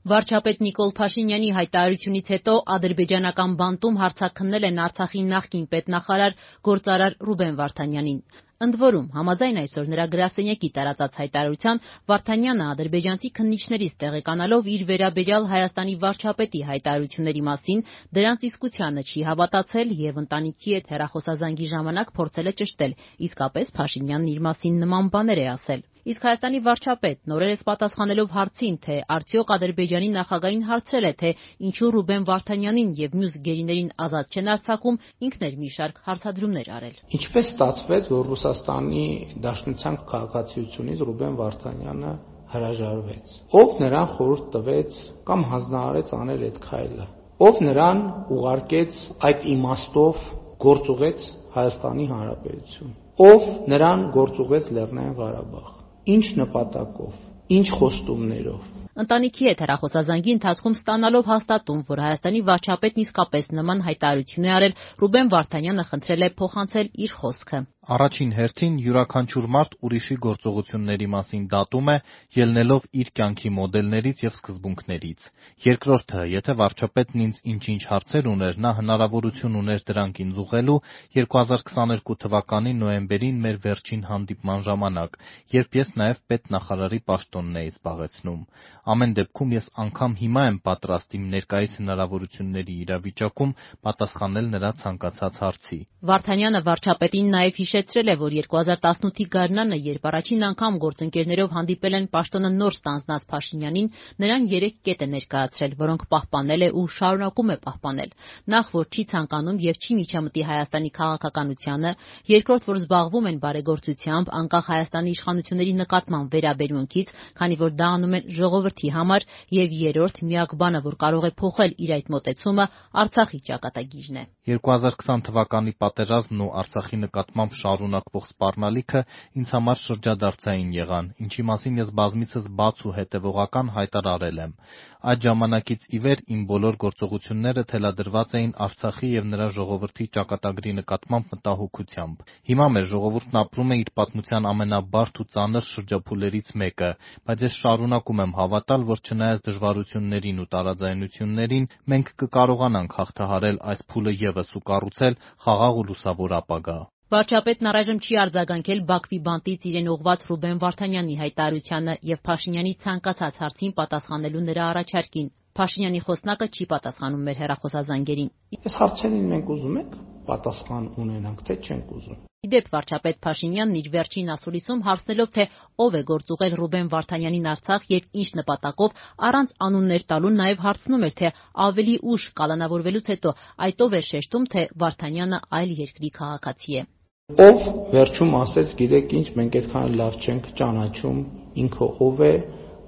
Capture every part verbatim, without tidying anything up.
Վարչապետ Նիկոլ Փաշինյանի հայտարարությունից հետո ադրբեջանական բանտում հարձակքնել են Արցախի նախկին պետնախարար գործարար Ռուբեն Վարդանյանին։ Ընդ որում, համաձայն այսօր նրա գրասենյակի տարածած հայտարարության, Վարդանյանը ադրբեջանցի քննիչներից տեղեկանալով իր վերաբերյալ Հայաստանի վարչապետի հայտարարությունների մասին դրանց իսկությանը չի հավատացել եւ ընտանիքի հետ հեռախոսազանգի ժամանակ փորձել է ճշտել, իսկապես Փաշինյանն իր մասին նման բաներ է ասել։ Իսկ Հայաստանի վարչապետն օրերս պատասխանելով հարցին, թե արդյոք Ադրբեջանի նախագահին հարցրել է, թե ինչու Ռուբեն Վարդանյանին եւ մյուս գերիներին ազատ չեն արձակում, ինքն էր մի շարք հարցադրումներ արել։ Ինչպես ստացվեց, որ Ռուսաստանի Դաշնության քաղաքացիությունից Ռուբեն Վարդանյանը հրաժարվեց։ Ով նրան խորհուրդ տվեց կամ հանձնարարեց անել այդ քայլը։ Ով նրան ուղարկեց այդ իմաստով գործուղեց Հայաստանի Հանրապետություն։ Ով նրան գործուղեց Լեռնային Ղարաբաղ։ Ինչ նպատակով, ինչ խոստումներով։ Ընտանիքի հետ հեռախոսազանգի ընթացքում ստանալով հաստատում, որ Հայաստանի վարչապետն իսկապես նման հայտարարություն է արել, Ռուբեն Վարդանյանը խնդրել է փոխանցել իր խոսքը։ Առաջին հերթին յուրաքանչյուր մարդ ուրիշի գործողությունների մասին դատում է, ելնելով իր կյանքի մոդելներից եւ սկզբունքներից։ Երկրորդը, եթե վարչապետն ինձ ինչ-ինչ հարցեր ուներ, նա հնարավորություն ուներ դրանք ինձ ուղղելու երկու հազար քսաներկու թվականի նոյեմբերին մեր վերջին հանդիպման ժամանակ, երբ ես նաեւ պետնախարարի պաշտոնն էի զբաղեցնում։ Ամեն դեպքում ես անգամ հիմա եմ պատրաստ իմ ներկայիս հնարավորությունների իրավիճակում պատասխանել նրա ցանկացած հարցի։ Վարդանյանը վարչապետին նաեւ հիշեցրել է, որ երկու հազար տասնութի գարնանը, երբ առաջին անգամ գործընկերներով հանդիպել են պաշտոնը նոր ստանձնած Փաշինյանին, նրան երեք կետ է ներկայացրել, որոնք պահպանել է ու շարունակում է պահպանել։ Նախ, որ չի ցանկանում եւ չի միջամտի Հայաստանի քաղաքականությանը, երկրորդ, որ զբաղվում են բարեգործությամբ, անկախ Հայաստանի իշխանությունների նկատմամբ վերաբերմունքից, քանի որ դա անում են ժողովրդի համար, եւ երրորդ, միակ բանը, որ կարող է փոխել իր այդ մոտեցումը, Արցախի ճակատագիրն է։ երկու հազար քսան թվականի պատերազմն ու Արցախի նկատմամբ շարունակվող սպառնալիքը ինձ համար շրջադարձային եղան, ինչի մասին ես բազմիցս բաց ու հետևողական հայտարարել եմ։ Այդ ժամանակից ի վեր իմ բոլոր գործողությունները թելադրված էին Արցախի եւ նրա ժողովրդի ճակատագրի նկատմամբ մտահոգությամբ։ Հիմա մեր ժողովուրդն ապրում է իր պատմության ամենաբարդ ու ծանր շրջափուլերից մեկը, բայց ես շարունակում եմ հավատալ, որ չնայած դժվարություններին ու տարաձայնություններին, մենք կկարողանանք հաղթահարել այս փուլը եւս ու կառուցել խաղաղ ու լուսավոր ապագա։ Վարչապետն առայժմ չի արձագանքել Բաքվի բանտից իրեն ուղղված Ռուբեն Վարդանյանի հայտարարությանը եւ Փաշինյանի ցանկացած հարցին պատասխանելու նրա առաջարկին։ Փաշինյանի խոսնակը չի պատասխանում մեր հեռախոսազանգերին։ Այս հարցերին մենք ուզում ենք պատասխան ունենանք, թե չենք ուզում։ Իդեպ վարչապետ Փաշինյանն իր վերջին ասուլիսում հարցնելով, թե ով է գործուղել Ռուբեն Վարդանյանին Արցախ եւ ինչ նպատակով, առանց անուններ տալու նաեւ հարցնում էր, թե ավելի ուշ կալանավորվելուց հետո այդ ով է շեշտում, թե Վարդանյանը այլ երկրի քաղաքացի է։ Ով վերջում ասեց, գիտեք ինչ, մենք այդքան լավ չենք ճանաչում, ինքը ով է,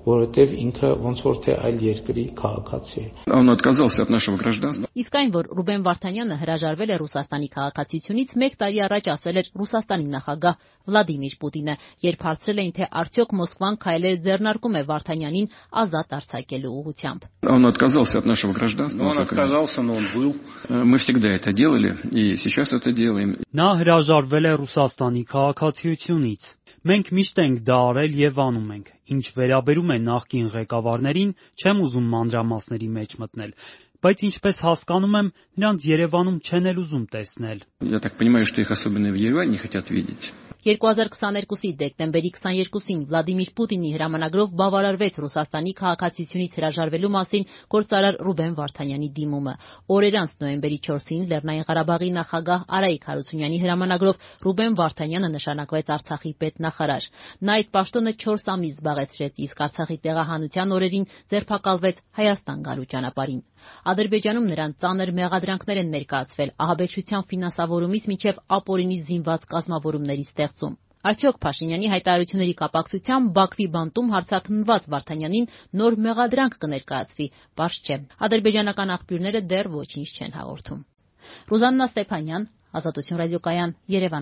որովհետև ինքը ոնց որ թե այլ երկրի քաղաքացի է։ Он отказался от нашего гражданства. Իսկ այն, որ Ռուբեն Վարդանյանը հրաժարվել է Ռուսաստանի քաղաքացիությունից, մեկ տարի առաջ ասել էր Ռուսաստանի նախագահ Վլադիմիր Պուտինը, երբ հարցրել էին, թե արդյոք Մոսկվան քայլեր ձեռնարկում է Վարդանյանին ազատ արձակելու ուղղությամբ։ Он отказался от нашего гражданства. Он отказался, но он был. Мы всегда это делали и сейчас это делаем. Նա հրաժարվել է Ռուսաստանի քաղաքացիությունից։ Մենք միշտ ենք դա արել եւ անում ենք։ Ինչ վերաբերում է նախկին ղեկավարներին, չեմ ուզում մանրամասների մեջ մտնել, բայց ինչպես հասկանում եմ, նրանց Երևանում չեն էլ ուզում տեսնել։ Я так понимаю, что их особенно в Ереване не хотят видеть. երկու հազար քսաներկուսի դեկտեմբերի քսաներկուսին Վլադիմիր Պուտինի հրամանագրով բավարարվեց Ռուսաստանի քաղաքացիությունից հրաժարվելու մասին գործարար Ռուբեն Վարդանյանի դիմումը։ Օրեր անց նոյեմբերի չորսին Լեռնային Ղարաբաղի նախագահ Արայիկ Հարությունյանի հրամանագրով Ռուբեն Վարդանյանը նշանակվեց Արցախի պետնախարար։ Նա այդ պաշտոնը չորս ամիս զբաղեցրեց, իսկ Արցախի տեղահանության օրերին ձերբակալվեց Հայաստան գալու ճանապարհին։ Ադրբեջանում նրան ծանր մեղադրանքներ են ներկայացվել ահաբեկչության ֆինանսավորումից մինչև ապօրինի զինված կազմավորումների ստեղծում։ Արդյոք Փաշինյանի հայտարարությունների կապակցությամբ Բաքվի բանտում հարձակնված Վարդանյանին նոր մեղադրանք կներկայացվի, պարզ չէ։ Ադրբեջանական աղբյուրները դեռ ոչինչ չեն հաղորդում։ Ռուզաննա Ստեփանյան, Ազատություն ռադիոկայան, Երևան։